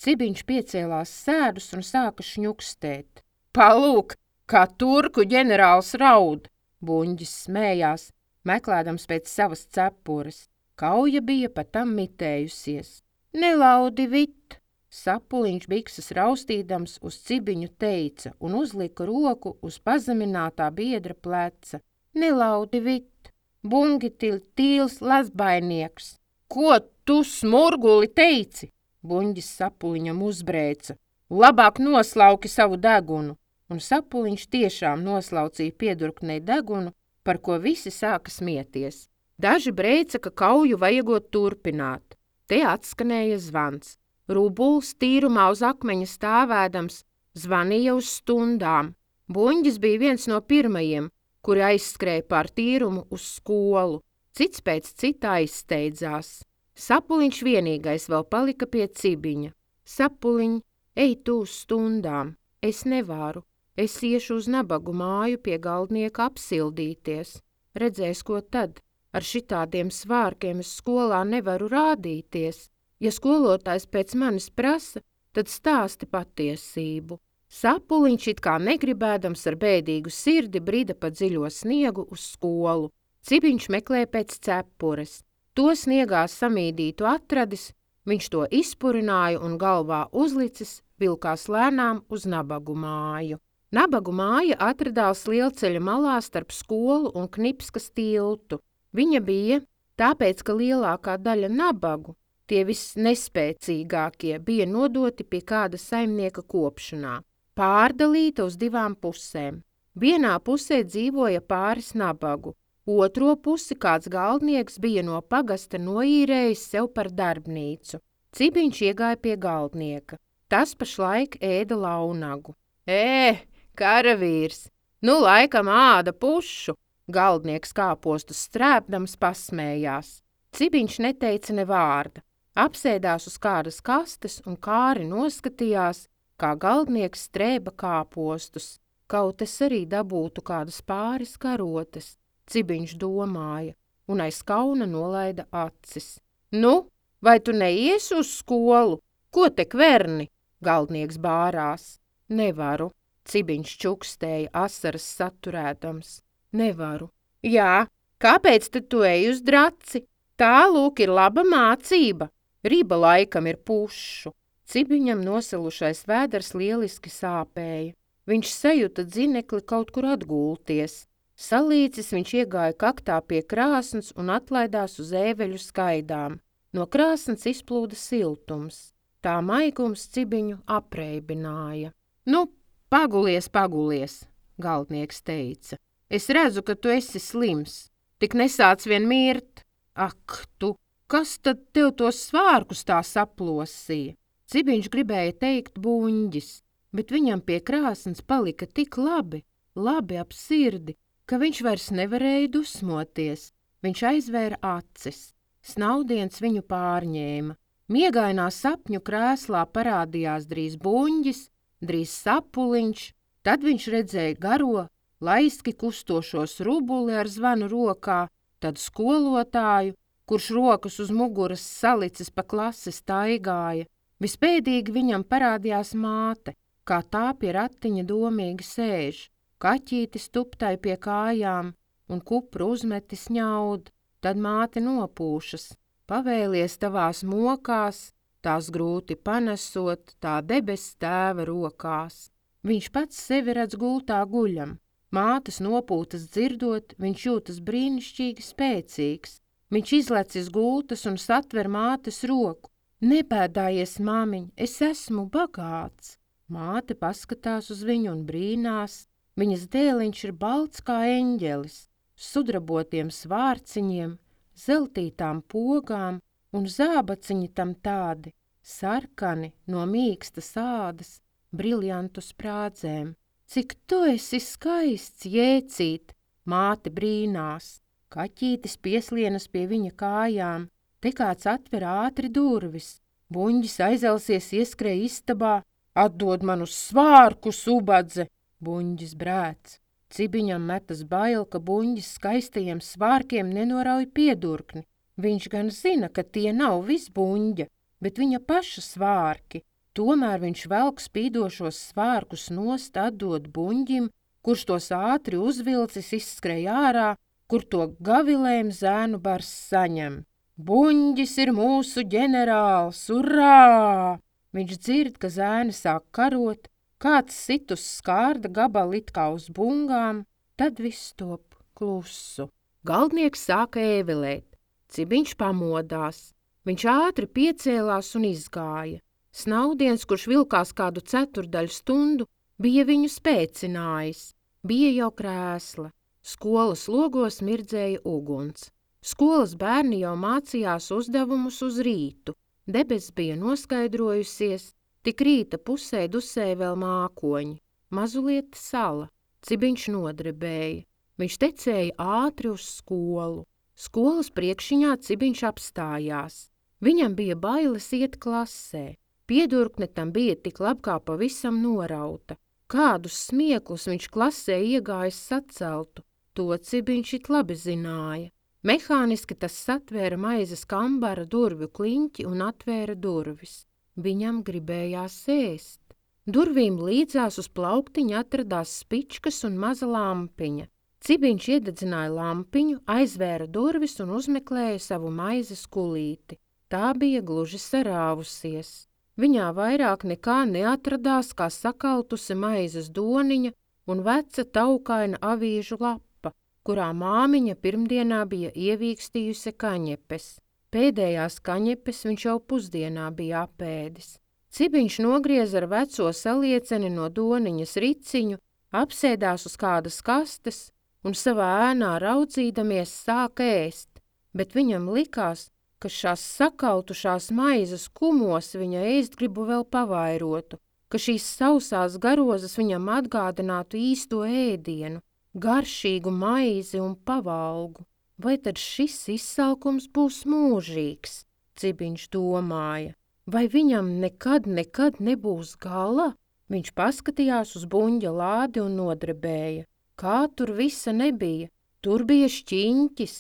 Cibiņš piecēlās sēdus un sāka šņukstēt. Palūk, kā turku ģenerālis raud! Buņģis smējās, meklēdams pēc savas cepures. Kauja bija pat tam mitējusies. Nelaudi vit! Sapuliņš bikses raustīdams uz Cibiņu teica un uzlika roku uz pazeminātā biedra pleca. Nelaudi vit! Bungi til tīls lasbainieks! Ko tu, smurguli, teici? Buņģis Sapuliņam uzbrēca. Labāk noslauki savu degunu! Un Sapuliņš tiešām noslaucīja piedurknei degunu, par ko visi sāka smieties. Daži brēca, ka kauju vajagot turpināt. Te atskanēja zvans. Rubuls tīrumā uz akmeņa stāvēdams zvanīja uz stundām. Buņģis bija viens no pirmajiem, kuri aizskrēja pār tīrumu uz skolu. Cits pēc cita aizsteidzās. Sapuliņš vienīgais vēl palika pie Cibiņa. Sapuliņ, ej tu uz stundām. Es nevaru. Es iešu uz nabagu māju pie galdnieka apsildīties. Redzēs, ko tad. Ar šitādiem svārkiem es skolā nevaru rādīties. Ja skolotājs pēc manis prasa, tad stāsti patiesību. Sapuliņš it kā negribēdams ar bēdīgu sirdi brida pa dziļo sniegu uz skolu. Cibiņš meklē pēc cepures. To sniegā samīdītu atradis, viņš to izpurināja un galvā uzlicis, vilkās lēnām uz nabagu māju. Nabagu māja atradās lielceļa malā starp skolu un Knipskas tiltu. Viņa bija, tāpēc, ka lielākā daļa nabagu, tie visnespēcīgākie, bija nodoti pie kāda saimnieka kopšanā, pārdalīta uz divām pusēm. Vienā pusē dzīvoja pāris nabagu, otro pusi kāds galdnieks bija no pagasta noīrējis sev par darbnīcu. Cibiņš iegāja pie galdnieka. Tas pašlaik ēda launagu. Ē, karavīrs, nu laikam āda pušu! Galdnieks kāpostus strēpdams pasmējās. Cibiņš neteica ne vārda. Apsēdās uz kādas kastes un kāri noskatījās, kā galdnieks strēba kāpostus. Kaut es arī dabūtu kādas pāris karotes, Cibiņš domāja, un aiz kauna nolaida acis. Nu, vai tu neiesi uz skolu? Ko te kverni? Galdnieks bārās. Nevaru. Cibiņš čukstēja asaras saturēdams. Nevaru. Jā, kāpēc tad tu ej uz draci? Tā, lūk, ir laba mācība. Riba laikam ir pušu. Cibiņam nosalušais vēders lieliski sāpēja. Viņš sajūta dzinekli kaut kur atgulties. Salīcis viņš iegāja kaktā pie krāsns un atlaidās uz ēveļu skaidām. No krāsns izplūda siltums. Tā maigums Cibiņu apreibināja. Nu, pagulies, pagulies, galdnieks teica. Es redzu, ka tu esi slims. Tik nesāc vien mirt. Ak, tu, kas tad tev tos svārkus tā saplosīja? Cibiņš gribēja teikt buņģis, bet viņam pie krāsns palika tik labi, labi ap sirdi, ka viņš vairs nevarēja dusmoties. Viņš aizvēra acis. Snaudiens viņu pārņēma. Miegainā sapņu krēslā parādījās drīz buņģis, drīz sapuliņš, tad viņš redzēja garo, laiski kustošos rubuli ar zvanu rokā, tad skolotāju, kurš rokas uz muguras salicis pa klasi staigāja. Vispēdīgi viņam parādījās māte, kā tā pie ratiņa domīgi sēž, kaķītis tuptai pie kājām un kupru uzmetis ņaud. Tad māte nopūšas, pavēlies tavās mokās, tās grūti panesot, tā debes tēva rokās. Viņš pats sevi redz gultā guļam. Mātes nopūtas dzirdot, viņš jūtas brīnišķīgi spēcīgs. Viņš izlec iz gultas un satver mātes roku. Nebēdājies, māmiņ, es esmu bagāts. Māte paskatās uz viņu un brīnās. Viņas dēliņš ir balts kā eņģelis, sudrabotiem svārciņiem, zeltītām pogām un zābaciņi tam tādi, sarkani no mīkstas ādas, briljantu sprādzēm. Cik tu esi skaists, jēcīt, māte brīnās. Kaķītis pieslienas pie viņa kājām, te kāds atver ātri durvis. Buņģis aizelsies ieskrēja istabā, atdod man uz svārku, subadze, buņģis brēc. Cibiņam metas bail, ka buņģis skaistajiem svārkiem nenorauj piedurkni. Viņš gan zina, ka tie nav vis buņģa, bet viņa paša svārki. Tomēr viņš velk spīdošos svārkus nost atdod buņģim, kurš tos ātri uzvilcis izskrēj ārā, kur to gavilēm zēnu bars saņem. Buņģis ir mūsu ģenerāls, urā! Viņš dzird, ka zēni sāk karot, kāds sit uz skārda gabalu it kā uz bungām, tad viss top klusu. Galdnieks sāka ēvelēt, Cibiņš pamodās. Viņš ātri piecēlās un izgāja. Snaudiens, kurš vilkās kādu ceturdaļu stundu, bija viņu spēcinājis. Bija jau krēsla. Skolas logos mirdzēja uguns. Skolas bērni jau mācījās uzdevumus uz rītu. Debes bija noskaidrojusies, tik rīta pusē dusēja vēl mākoņi. Mazulieta sala. Cibiņš nodrebēja. Viņš tecēja ātri uz skolu. Skolas priekšiņā Cibiņš apstājās. Viņam bija bailes iet klasē. Piedurkne tam bija tik labi kā pavisam norauta. Kādus smieklus viņš klasē iegājis saceltu, to Cibiņš it labi zināja. Mehāniski tas satvēra maizes kambara durvju kliņķi un atvēra durvis. Viņam gribējās ēst. Durvīm līdzās uz plauktiņa atradās spičkas un maza lampiņa. Cibiņš iededzināja lampiņu, aizvēra durvis un uzmeklēja savu maizes kulīti. Tā bija gluži sarāvusies. Viņā vairāk nekā neatradās kā sakaltusi maizes doniņa un veca taukaina avīžu lapa, kurā māmiņa pirmdienā bija ievīkstījusi kaņepes. Pēdējās kaņepes viņš jau pusdienā bija apēdis. Cibiņš nogriez ar veco salieceni no doniņas riciņu, apsēdās uz kādas kastes un savā ēnā raudzīdamies sāk ēst, bet viņam likās, ka šās sakautušās maizes kumos viņa ēstgribu vēl pavairotu, ka šīs sausās garozas viņam atgādinātu īsto ēdienu, garšīgu maizi un pavalgu. Vai tad šis izsalkums būs mūžīgs, Cibiņš domāja, vai viņam nekad, nekad nebūs gala? Viņš paskatījās uz buņģa lādi un nodrebēja. Kā tur visa nebija? Tur bija šķiņķis,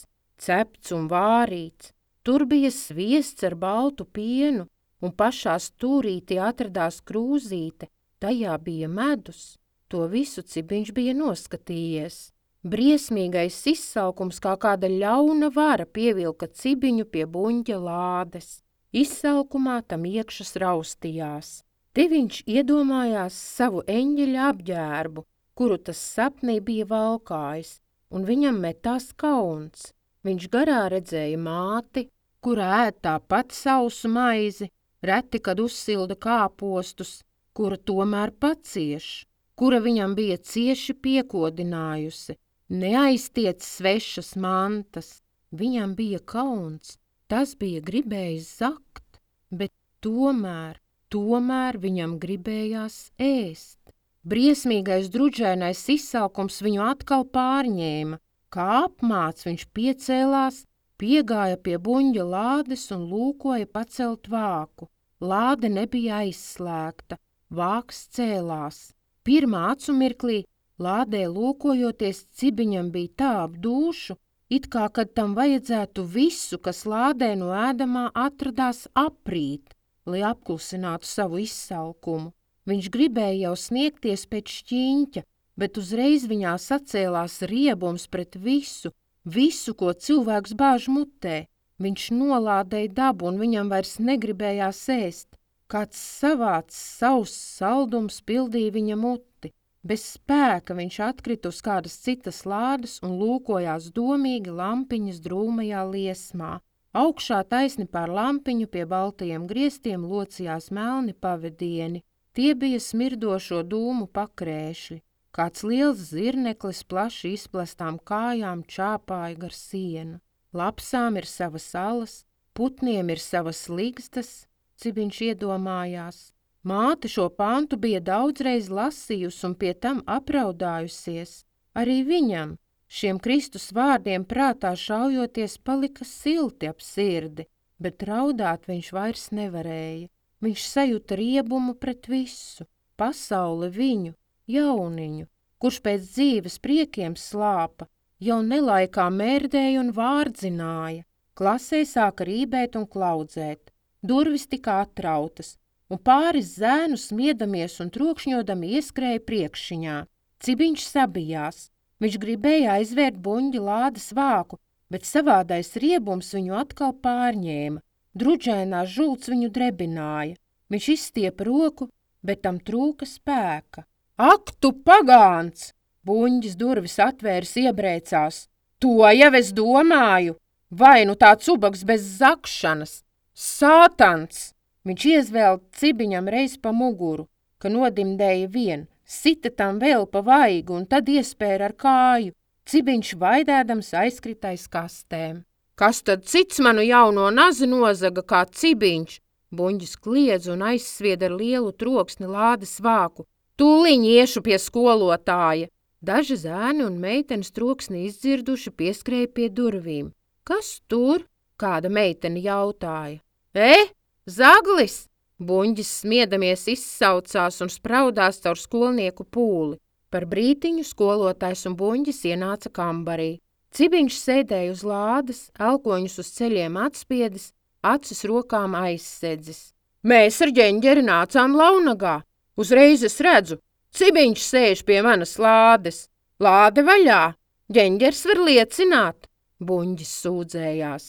cepts un vārīts. Tur bija sviests ar baltu pienu, un pašā stūrītī atradās krūzīte, tajā bija medus. To visu Cibiņš bija noskatījies. Briesmīgais izsalkums kā kāda ļauna vara pievilka Cibiņu pie Buņģa lādes. Izsalkumā tam iekšas raustījās. Te viņš iedomājās savu eņģeļa apģērbu, kuru tas sapnī bija valkājis, un viņam metās kauns. Viņš garā redzēja māti, kura ēd tāpat sausu maizi, reti, kad uzsilda kāpostus, kura tomēr pacieš, kura viņam bija cieši piekodinājusi, neaiztiec svešas mantas. Viņam bija kauns, tas bija gribējis zakt, bet tomēr, tomēr viņam gribējās ēst. Briesmīgais druģainais izsalkums viņu atkal pārņēma. Kā apmāts viņš piecēlās, piegāja pie Buņģa lādes un lūkoja pacelt vāku. Lāde nebija aizslēgta, vāks cēlās. Pirmā acu mirklī lādē lūkojoties Cibiņam bija tā ap dūšu, it kā kad tam vajadzētu visu, kas lādē no ēdamā atradās aprīt, lai apklusinātu savu izsalkumu. Viņš gribēja jau sniegties pēc šķiņķa, bet uzreiz viņā sacēlās riebums pret visu, visu, ko cilvēks bāž mutē. Viņš nolādēja dabu un viņam vairs negribējās ēst. Kāds savāds sauss saldums pildīja viņa muti. Bez spēka viņš atkrita uz kādas citas lādes un lūkojās domīgi lampiņas drūmajā liesmā. Augšā taisni pār lampiņu pie baltajiem griestiem locījās melni pavedieni. Tie bija smirdošo dūmu pakrēšļi. Kāds liels zirneklis plaši izplestām kājām čāpāja gar sienu. Lapsām ir savas alas, putniem ir savas ligzdas, Cibiņš iedomājās. Māte šo pantu bija daudzreiz lasījusi un pie tam apraudājusies. Arī viņam, šiem Kristus vārdiem prātā šaujoties, palika silti ap sirdi, bet raudāt viņš vairs nevarēja. Viņš sajuta riebumu pret visu, pasauli viņu, jauniņu, kurš pēc dzīves priekiem slāpa, jau nelaikā mērdēja un vārdzināja. Klasē sāka rībēt un klaudzēt, durvis tika atrautas, un pāris zēnu smiedamies un trokšņodami ieskrēja priekšiņā. Cibiņš sabijās. Viņš gribēja aizvērt Buņģa lādes vāku, bet savādais riebums viņu atkal pārņēma. Druģainās žults viņu drebināja. Viņš izstiepa roku, bet tam trūka spēka. Ak, tu pagāns! Buņģis durvis atvērs iebrēcās. To jau es domāju! Vai nu tāds ubaks bez zakšanas! Sātans! Viņš iezvēl Cibiņam reiz pa muguru, ka nodimdēja vien, sita tam vēl pa vaigu un tad iespēra ar kāju. Cibiņš vaidēdams aizkrita aiz kastēm. Kas tad cits manu jauno nazi nozaga kā Cibiņš? Buņģis kliedz un aizsvied ar lielu troksni lādes vāku. Tūliņ iešu pie skolotāja. Daži zēni un meitenes troksni izdzirduši pieskrēja pie durvīm. Kas tur? Kāda meitene jautāja. E, Zaglis! Buņģis smiedamies izsaucās un spraudās caur skolnieku pūli. Par brītiņu skolotājs un Buņģis ienāca kambarī. Cibiņš sēdēja uz lādes, elkoņus uz ceļiem atspiedis, acis rokām aizsedzis. Mēs ar ģeņģeri nācām Launagā. Uzreiz es redzu, Cibiņš sēž pie manas lādes. Lāde vaļā, ģeņģers var liecināt. Buņģis sūdzējās.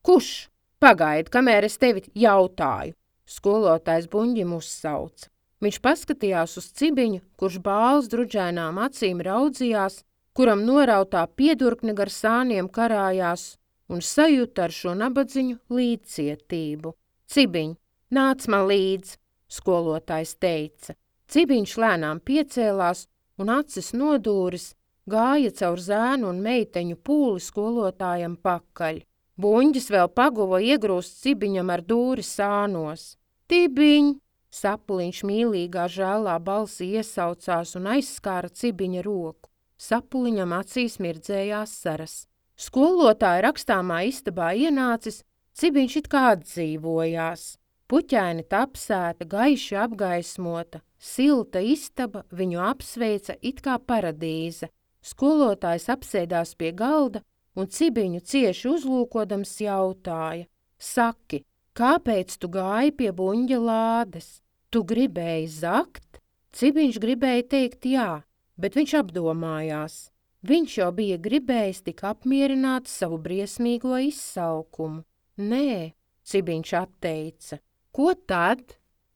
Kurš? Pagaidi, kamēr es tevi jautāju. Skolotājs Buņģim uzsauca. Viņš paskatījās uz Cibiņu, kurš bāls druģainām acīm raudzījās, kuram norautā piedurkne gar sāniem karājās un sajuta ar šo nabadziņu līdzcietību. Cibiņ, nāc man līdz, skolotājs teica. Cibiņš lēnām piecēlās un acis nodūris, gāja caur zēnu un meiteņu pūli skolotājam pakaļ. Buņģis vēl paguva iegrūst Cibiņam ar dūri sānos. Tibiņ! Sapuliņš mīlīgā žēlā balsī iesaucās un aizskāra Cibiņa roku. Sapuliņam acīs mirdzējās saras. Skolotāja rakstāmā istabā ienācis, Cibiņš it kā atdzīvojās. Puķaini tapsēta, gaiši apgaismota, silta istaba viņu apsveica it kā paradīze. Skolotājs apsēdās pie galda un Cibiņu cieši uzlūkodams jautāja. Saki, kāpēc tu gāji pie Buņģa lādes? Tu gribēji zakt? Cibiņš gribēja teikt jā, bet viņš apdomājās. Viņš jau bija gribējis tik apmierināt savu briesmīgo izsalkumu. Nē, Cibiņš atteica. Ko tad?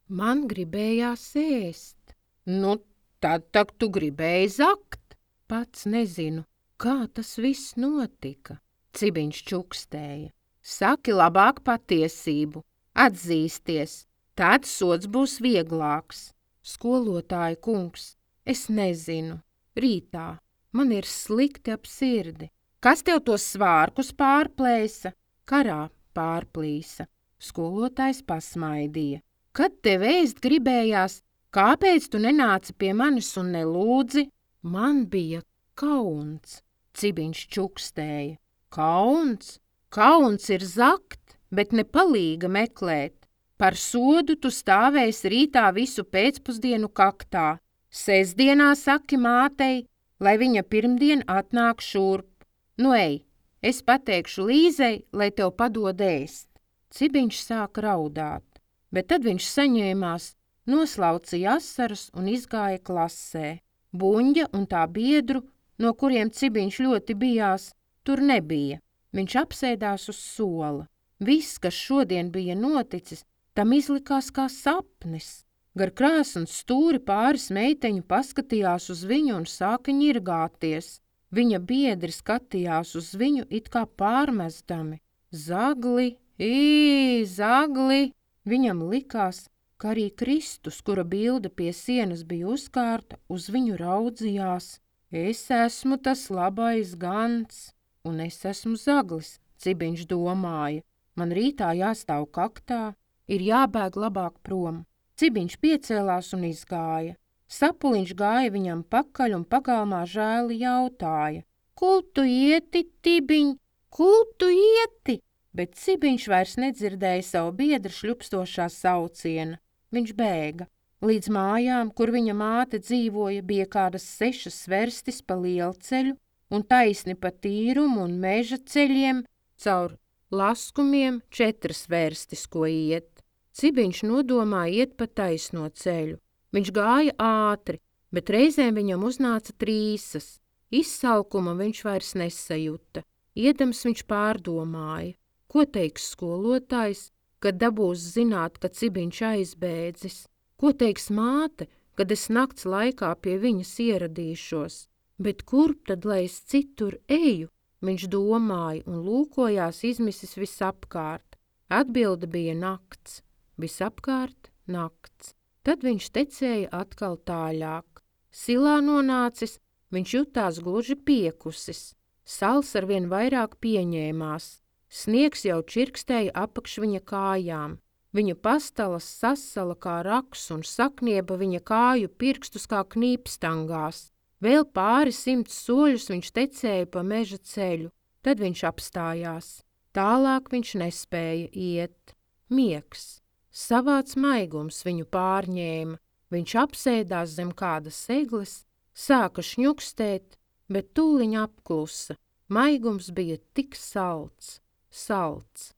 Man gribējās ēst. Nu, tad tak tu gribēji zakt. Pats nezinu, kā tas viss notika. Cibiņš čukstēja. Saki labāk patiesību, atzīsties, tad sods būs vieglāks. Skolotāja kungs, es nezinu, rītā. Man ir slikti ap sirdi. Kas tev tos svārkus pārplēsa? Karā pārplīsa. Skolotājs pasmaidīja. Kad tev ēst gribējās, kāpēc tu nenāci pie manis un nelūdzi? Man bija kauns. Cibiņš čukstēja. Kauns? Kauns ir zakt, bet ne palīga meklēt. Par sodu tu stāvēsi rītā visu pēcpusdienu kaktā. Sestdienā saki mātei, lai viņa pirmdien atnāk šurp. Nu ej, es pateikšu Līzei, lai tev padod ēst. Cibiņš sāka raudāt, bet tad viņš saņēmās, noslaucīja asaras un izgāja klasē. Buņģa un tā biedru, no kuriem Cibiņš ļoti bijās, tur nebija. Viņš apsēdās uz sola. Viss, kas šodien bija noticis, tam izlikās kā sapnis. Gar krāsns stūri pāris meiteņu paskatījās uz viņu un sāka ņirgāties. Viņa biedri skatījās uz viņu it kā pārmestami. Zagli, ī, zagli! Viņam likās, ka arī Kristus, kura bilde pie sienas bija uzkārta, uz viņu raudzījās. Es esmu tas labais gans, un es esmu zaglis, Cibiņš domāja. Man rītā jāstāv kaktā, ir jābēg labāk prom. Cibiņš piecēlās un izgāja. Sapuliņš gāja viņam pakaļ un pagalmā žēli jautāja. Kur tu ieti, Tibiņ? Kur tu ieti? Bet Cibiņš vairs nedzirdēja savu biedru šļupstošā sauciena. Viņš bēga. Līdz mājām, kur viņa māte dzīvoja, bija kādas sešas sverstis pa lielceļu un taisni pa tīrumu un meža ceļiem, caur laskumiem četras vērstis, ko iet. Cibiņš nodomāja iet pa taisno ceļu. Viņš gāja ātri, bet reizēm viņam uznāca trīsas. Izsalkuma viņš vairs nesajuta. Iedams viņš pārdomāja, ko teiks skolotājs, kad dabūs zināt, ka Cibiņš aizbēdzis. Ko teiks māte, kad es nakts laikā pie viņas ieradīšos. Bet kurp tad, lai es citur eju? Viņš domāja un lūkojās izmisis visapkārt. Atbilde bija nakts. Visapkārt nakts. Tad viņš tecēja atkal tāļāk. Silā nonācis, viņš jutās gluži piekusis. Sals arvien vairāk pieņēmās. Sniegs jau čirkstēja apakš viņa kājām. Viņa pastalas sasala kā raks un saknieba viņa kāju pirkstus kā knīpstangās. Vēl pāri simts soļus viņš tecēja pa meža ceļu. Tad viņš apstājās. Tālāk viņš nespēja iet. Miegs. Savāds maigums viņu pārņēma, viņš apsēdās zem kādas egles, sāka šņukstēt, bet tūliņ apklusa. Maigums bija tik salds, salds.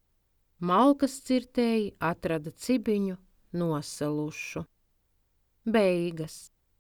Malkas cirtēji atrada Cibiņu nosalušu. Beigas.